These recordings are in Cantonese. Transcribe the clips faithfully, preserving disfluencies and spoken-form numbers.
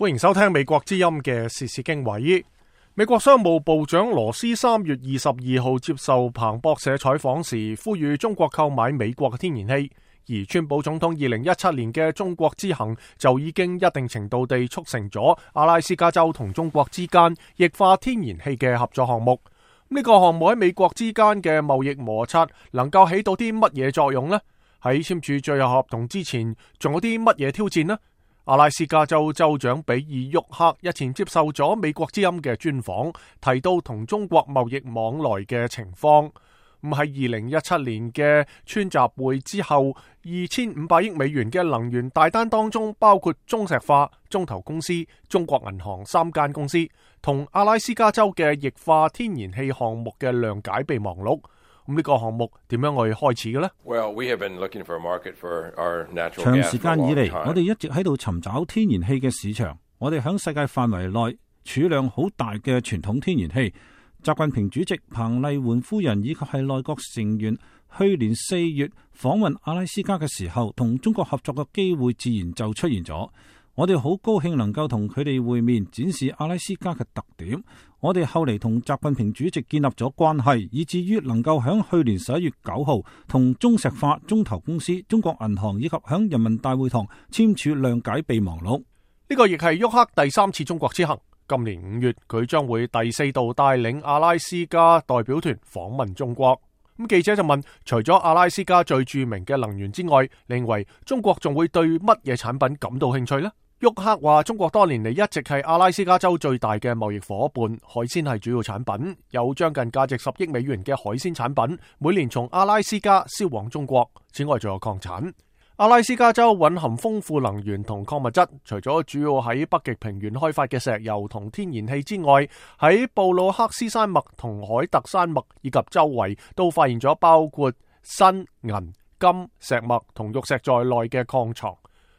歡迎收聽美國之音嘅時事經緯。美國商務部長羅斯三月二十二號接受彭博社採訪時，呼籲中國購買美國嘅天然氣。而川普總統二零一七年嘅中國之行就已經一定程度地促成咗阿拉斯加州同中國之間液化天然氣嘅合作項目。呢個項目喺美國之間嘅貿易摩擦能夠起到啲乜嘢作用呢？喺簽署最後合同之前，仲有啲乜嘢挑戰呢？阿拉斯加州州長比爾沃克日前接受咗美國之音嘅專訪，提到同中國貿易往來嘅情況。咁喺二零一七年嘅川習會之後，二千五百億美元嘅能源大單當中，包括中石化、中投公司、中國銀行三間公司同阿拉斯加州嘅液化天然氣項目嘅諒解備忘錄。咁呢個項目點樣去開始嘅呢？ Well, we have been looking for a market for our natural gas. 長時間以嚟，我哋一直喺度尋找天然氣嘅市場。我哋喺世界範圍內儲量好大嘅傳統天然氣。習近平主席、彭麗媛夫人以及係內閣成員去年四月訪問阿拉斯加嘅時候，同中國合作嘅機會自然就出現咗。我哋好高興能夠同佢哋會面，展示阿拉斯加嘅特點。我哋後嚟同習近平主席建立咗關係，以至於能夠喺去年十一月九號同中石化、中投公司、中國銀行以及喺人民大會堂簽署諒解備忘錄。呢個亦係沃克第三次中國之行。今年五月，佢將會第四度帶領阿拉斯加代表團訪問中國。咁記者就問，除咗阿拉斯加最著名嘅能源之外，你認為中國仲會對乜嘢產品感到興趣呢？沃克話，中國多年嚟一直係阿拉斯加州最大嘅貿易夥伴，海鮮係主要產品，有將近價值十億美元嘅海鮮產品，每年從阿拉斯加銷往中國。此外，仲有礦產。阿拉斯加州蘊含豐富能源同礦物質，除咗主要喺北極平原開發嘅石油同天然氣之外，喺布魯克斯山脈同海特山脈以及周圍都發現咗包括砷、銀、金、石墨同玉石在內嘅礦藏。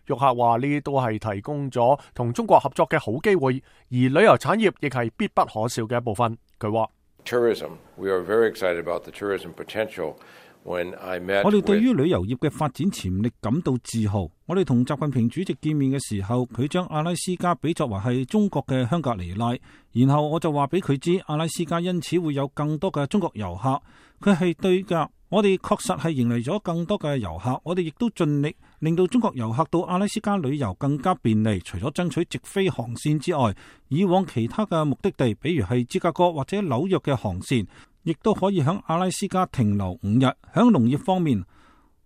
沃克話呢啲都係提供咗同中國合作嘅好機會，而旅遊產業亦係必不可少嘅一部分。佢話 Tourism, we are very excited about the tourism potential. 我哋對於旅遊業嘅發展潛力感到自豪。我哋同習近平主席見面嘅時候，佢將阿拉斯加比作為係中國嘅香格里拉，然後我就話俾佢知，阿拉斯加因此會有更多嘅中國遊客。佢係對㗎，我哋確實係迎嚟咗更多嘅遊客。我哋亦都盡力令到中國遊客到阿拉斯加旅遊更加便利。除咗爭取直飛航線之外，以往其他嘅目的地，比如係芝加哥或者紐約嘅航線，亦都可以喺阿拉斯加停留五日。喺農業方面，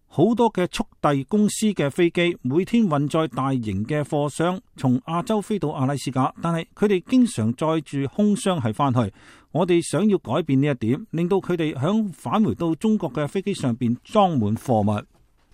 好多嘅速遞公司嘅飛機每天運載大型嘅貨箱從亞洲飛到阿拉斯加，但係佢哋經常載住空箱係翻去。我哋想要改變呢一點，令到佢哋響返回到中國嘅飛機上邊裝滿貨物。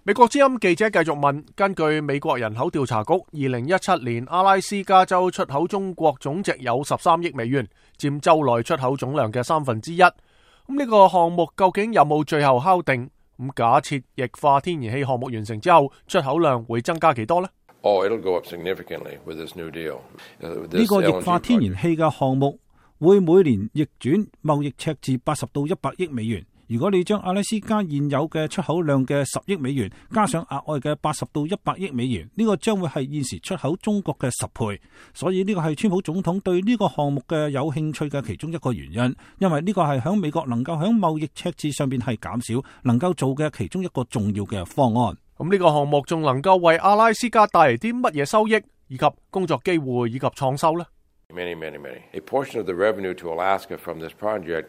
美國之音記者繼續問，根據美國人口調查局，二零一七年阿拉斯加州出口中國總值有十三億美元，佔州內出口總量嘅三分之一。咁呢個項目究竟有冇最後敲定？咁假設液化天然氣項目完成之後，出口量會增加幾多呢？Oh, it'll go up significantly with this new deal. 呢個液化天然氣嘅項目會每年逆轉貿易赤字八十到一百億美元。如果你將阿拉斯加現有嘅出口量嘅十億美元加上額外嘅八十到一百億美元，呢個將會係現時出口中國嘅十倍。所以呢個係川普總統對呢個項目嘅有興趣嘅其中一個原因，因為呢個係響美國能夠響貿易赤字上邊係減少，能夠做嘅其中一個重要嘅方案。咁呢個項目仲能夠為阿拉斯加帶嚟啲乜嘢收益，以及工作機會以及創收呢？ Many, many, many. A portion of the revenue to Alaska from this project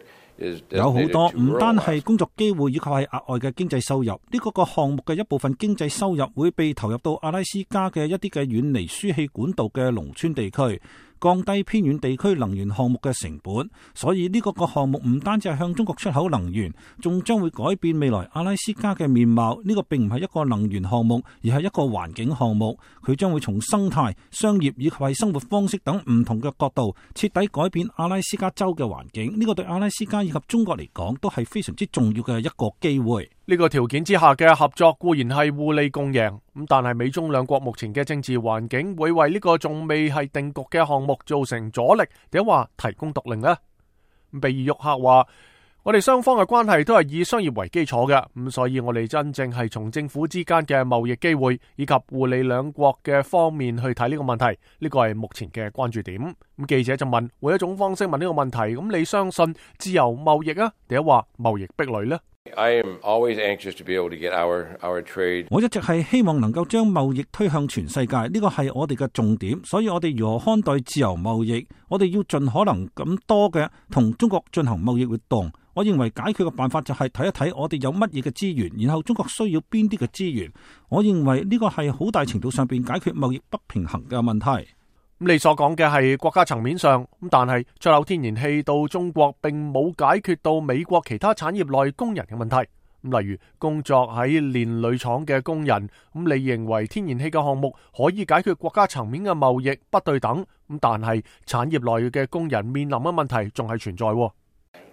有好多唔單係工作機會以及係額外嘅經濟收入，呢個個項目嘅一部分經濟收入會被投入到阿拉斯加嘅一啲嘅遠離輸氣管道嘅農村地區，降低偏遠地區能源項目嘅成本。所以呢個個項目唔單止係向中國出口能源，仲將會改變未來阿拉斯加嘅面貌。呢個並唔係一個能源項目，而係一個環境項目。佢將會從生態、商業以及係生活方式等唔同嘅角度，徹底改變阿拉斯加州嘅環境。呢個對阿拉斯加以及中國嚟講都係非常之重要嘅一個機會。呢個條件之下嘅合作固然係互利共贏，咁但係美中兩國目前嘅政治環境會為呢個仲未係定局嘅項目造成阻力，定話提供獨令呢？比爾沃克話，我哋雙方嘅關係都係以商業為基礎嘅，咁所以我哋真正係從政府之間嘅貿易機會以及互利兩國嘅方面去睇呢個問題，呢個係目前嘅關注點。咁記者就問，換一種方式問呢個問題，咁你相信自由貿易啊，定係話貿易壁壘呢？ I am always anxious to be able to get our, our trade. 我一直係希望能夠將貿易推向全世界，呢個係我哋嘅重點。所以我哋如何看待自由貿易？我哋要盡可能咁多嘅同中國進行貿易活動。我認為解決嘅辦法就係睇一睇我哋有乜嘢嘅資源，然後中國需要邊啲嘅資源。我認為呢個係好大程度上邊解決貿易不平衡嘅問題。咁你所講嘅係國家層面上，咁但係出口天然氣到中國並冇解決到美國其他產業內工人嘅問題。咁例如工作喺煉鋁廠嘅工人，咁你認為天然氣嘅項目可以解決國家層面嘅貿易不對等？咁但係產業內嘅工人面臨嘅問題仲係存在。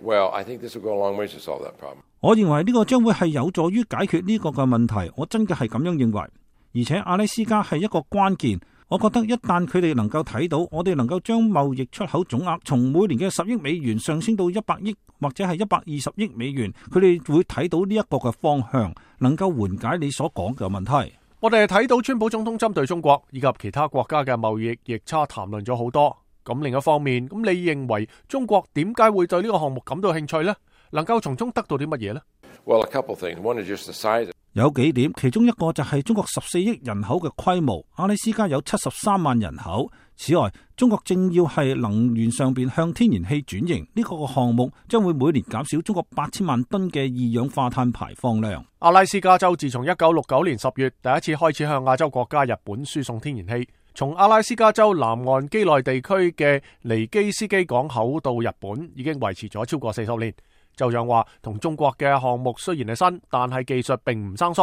Well, I think this will go a long way to solve that problem. 我認為呢個將會係有助於解決呢個嘅問題。我真嘅係咁樣認為，而且阿拉斯加係一個關鍵。我覺得一旦佢哋能夠睇到，我哋能夠將貿易出口總額從每年嘅十億美元上升到一百億或者係一百二十億美元，佢哋會睇到呢一個嘅方向，能夠緩解你所講嘅問題。我哋睇到川普總統針對中國以及其他國家嘅貿易逆差談論咗好多。咁另一方面，咁你認為中國點解會對呢個項目感到興趣呢？能夠從中得到啲乜嘢呢？ Well, a couple things. One is just the size. 有幾點，其中一個就係中國十四億人口嘅規模，阿拉斯加有七十三萬人口。此外，中國正要係能源上邊向天然氣轉型，呢、這個項目將會每年減少中國八千萬噸嘅二氧化碳排放量。阿拉斯加州自從一九六九年十月第一次開始向亞洲國家日本輸送天然氣，從阿拉斯加州南岸畿內地區嘅尼基斯基港口到日本，已經維持咗超過四十年。州長話，同中國嘅項目雖然係新，但係技術並唔生疏。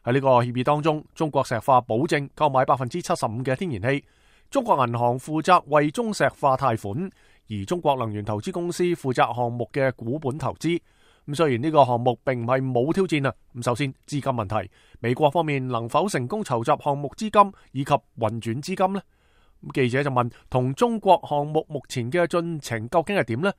喺呢個協議當中，中國石化保證購買百分之七十五嘅天然氣，中國銀行負責為中石化貸款，而中國能源投資公司負責項目嘅股本投資。咁雖然呢個項目並唔係冇挑戰啊，咁首先資金問題，美國方面能否成功籌集項目資金以及運轉資金呢？咁記者就問，同中國項目目前嘅進程究竟係點呢？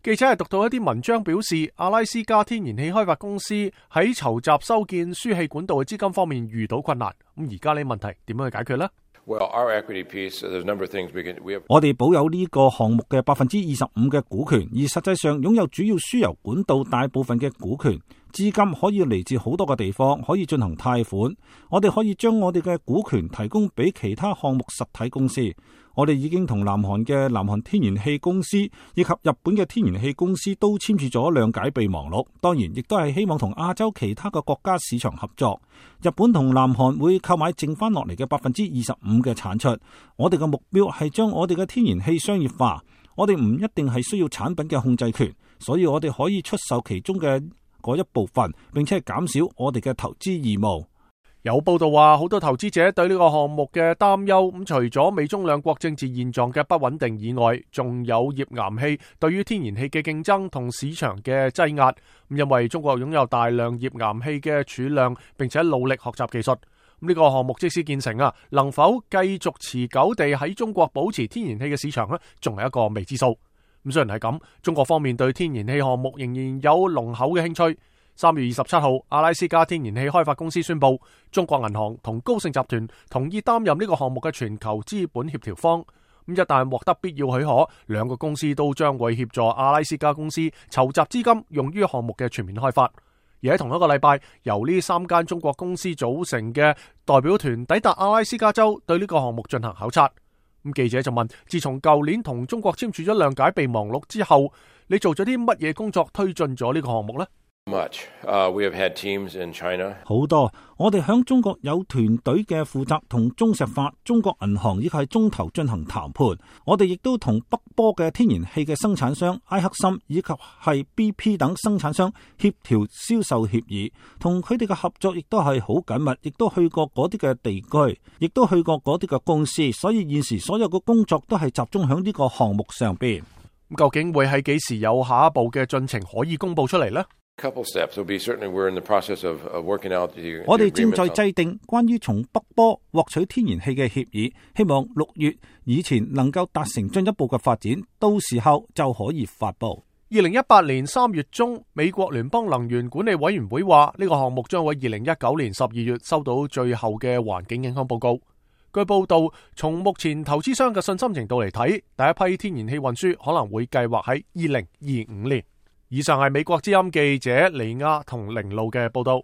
記者係讀到一啲文章表示，阿拉斯加天然氣開發公司喺籌集修建輸氣管道嘅資金方面遇到困難。咁而家呢問題點樣去解決呢？ Well, our equity piece, there's a number of things we can, we have... 我哋保有呢個項目嘅百分之二十五嘅股權，而實際上擁有主要輸油管道大部分嘅股權。資金可以嚟自好多個地方，可以進行貸款。我哋可以將我哋嘅股權提供俾其他項目實體公司。我哋已經同南韓嘅南韓天然氣公司以及日本嘅天然氣公司都簽署咗諒解備忘錄。當然，亦都係希望同亞洲其他嘅國家市場合作。日本同南韓會購買剩翻落嚟嘅百分之二十五嘅產出。我哋嘅目標係將我哋嘅天然氣商業化。我哋唔一定係需要產品嘅控制權，所以我哋可以出售其中嘅嗰一部分，並且係減少我哋嘅投資義務。有報道話，好多投資者對呢個項目嘅擔憂，咁除咗美中兩國政治現狀嘅不穩定以外，仲有頁岩氣對於天然氣嘅競爭同市場嘅擠壓。咁因為中國擁有大量頁岩氣嘅儲量，並且努力學習技術。咁呢個項目即使建成啊，能否繼續持久地喺中國保持天然氣嘅市場呢，仲係一個未知數。咁雖然係咁，中國方面對天然氣項目仍然有濃厚嘅興趣。三月二十七號，阿拉斯加天然氣開發公司宣布，中國銀行同高盛集團同意擔任呢個項目嘅全球資本協調方。咁一旦獲得必要許可，兩個公司都將會協助阿拉斯加公司籌集資金，用於項目嘅全面開發。而喺同一個禮拜，由呢三間中國公司組成嘅代表團抵達阿拉斯加州，對呢個項目進行考察。咁記者就問，自從舊年同中國簽署咗諒解備忘錄之後，你做咗啲乜嘢工作推進咗呢個項目呢？ Much. Uh, we have had teams in China. 好多，我哋響中國有團隊嘅負責同中石化、中國銀行以及係中投進行談判。我哋亦都同北波嘅天然氣嘅生產商埃克森以及係 B P 等生產商協調銷售協議，同佢哋嘅合作亦都係好緊密，亦都去過嗰啲嘅地區，亦都去過嗰啲嘅公司。所以現時所有嘅工作都係集中響呢個項目上邊。咁究竟會喺幾時有下一步嘅進程可以公布出嚟呢？Couple steps will be certainly we're in the process of working out the. 我哋正在制定關於從北波獲取天然氣嘅協議，希望六月以前能夠達成進一步嘅發展，到時候就可以發布。二零一八年三月中，美國聯邦能源管理委員會話呢個項目將會二零一九年十二月收到最後嘅環境影響報告。據報道，從目前投資商嘅信心程度嚟睇，第一批天然氣運輸可能會計劃喺二零二五年。以上係美國之音記者李亞同凌路嘅報道。